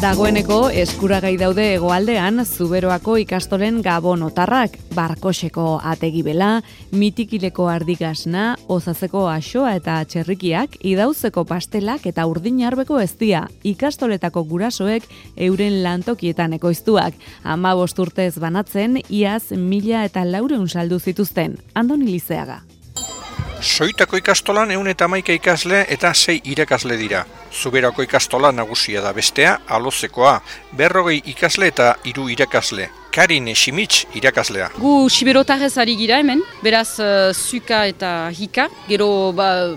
Dagoeneko eskuragai daude hegoaldean Zuberoako ikastolen gabonotarrak, Barkoseko ategibela, Mitikileko ardigasna, Ozazeko axoa eta txerrikiak, Idauzeko pastelak eta urdinarbeko eztia, ikastoletako gurasoek euren lantokietan ekoiztuak. 15 urtez banatzen, iaz 1.400 saldu zituzten. Andoni Lizeaga. Soitako ikastolan 111 ikasle eta 6 irakasle dira. Zuberako ikastola nagusia da, bestea Alozekoa, 40 ikasle eta 3 irakasle. Karin Simitz irakaslea. Gu siberotarrez ari gira hemen, beraz zuka eta hika. Gero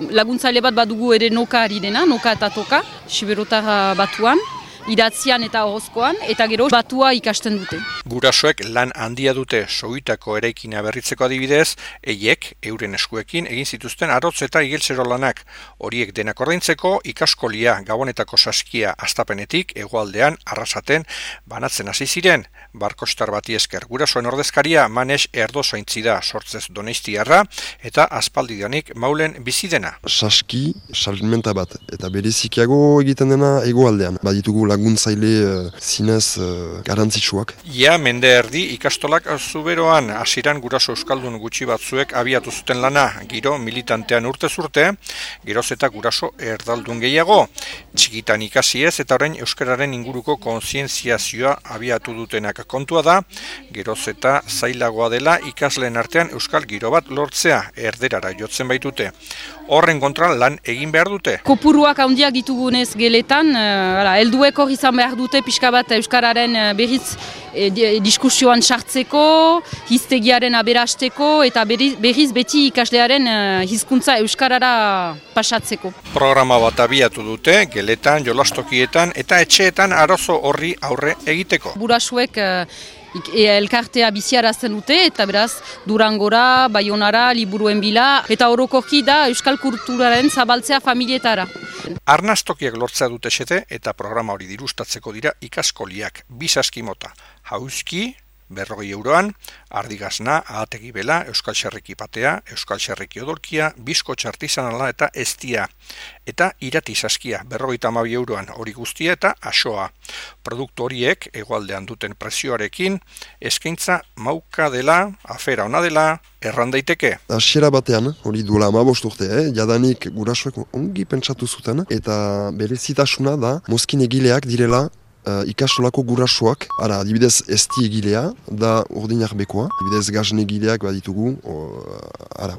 laguntzaile bat badugu ere noka ari dena, noka eta toka, siberotar batuan. Idatzian eta horozkoan, eta gero batua ikasten dute. Gurasoek lan handia dute Soitako eraikina berritzeko adibidez, eiek euren eskuekin egin zituzten arotz eta igelzero lanak. Horiek denak ordaintzeko ikaskolia Gabonetako saskia astapenetik hegoaldean Arrasaten banatzen hasi ziren. Barkostar bati esker gurasoen ordezkaria Manes Erdozaintzi da, sortzez Doneistiarra eta aspaldidanik Maulen bizi dena. Saski salmenta bat eta berezikiago egiten dena hegoaldean. Baditugu laguntzaile zinez garantzitsuak. Ia mende erdi ikastolak Zuberoan hasieran guraso euskaldun gutxi batzuek abiatu zuten lana, giro militantean urtez urte, geroz eta guraso erdaldun gehiago. Txikitan ikasi ez eta orain euskararen inguruko kontzientziazioa abiatu dutenak. Kontua da, geroz eta zailagoa dela ikasleen artean euskal giro bat lortzea, erderara jotzen baitute. Horren kontra lan egin behar dute. Kopuruak handiak ditugunez geletan, helduek hor izan behar dute pixka bat euskararen berriz diskusioan sartzeko, hiztegiaren aberasteko eta berriz beti ikaslearen hizkuntza euskarara pasatzeko. Programa bat abiatu dute, geletan, jolastokietan eta etxeetan arazo horri aurre egiteko. Burasuek elkartea biziarazten dute eta beraz Durangora, Baionara, liburuen bila eta orokorki da euskal kulturaren zabaltzea familietara. Arnastokiak lortzea dute xete eta programa hori dirustatzeko dira ikaskoliak, 2 saski mota, Hauski, 40 euroan, ardigasna, ahategibela, euskal xerriki patea, euskal xerriki odolkia, bizkotx artisanala eta eztia. Eta irati saskia, 52 euroan, hori guztia eta axoa. Produktu horiek, hegoaldean duten prezioarekin, eskaintza mauka dela, afera ona dela, erran daiteke. Hasiera batean, hori duela 15 urte, jadanik gurasoek ongi pentsatu zuten, eta berezitasuna da, mozkin egileak direla, ikastolako gurasoak, adibidez ezti egilea, da urdinarbekoa, adibidez gazne egileak baditugu,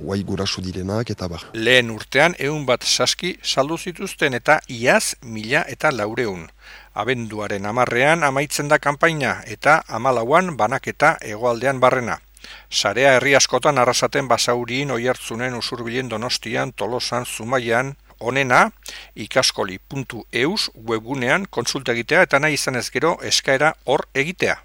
guai guraso direnak eta bar. Lehen urtean 100 saski saldu zituzten eta iaz 1.400. Abenduaren 10ean amaitzen da kanpaina eta 14an banaketa hegoaldean barrena. Sarea herri askotan Arrasaten, Basaurien, Oiartzunen, Usurbilen, Donostian, Tolosan, Zumaian, onena ikaskoli.eus webgunean kontsulta egitea eta nahi izanez gero eskaera hor egitea.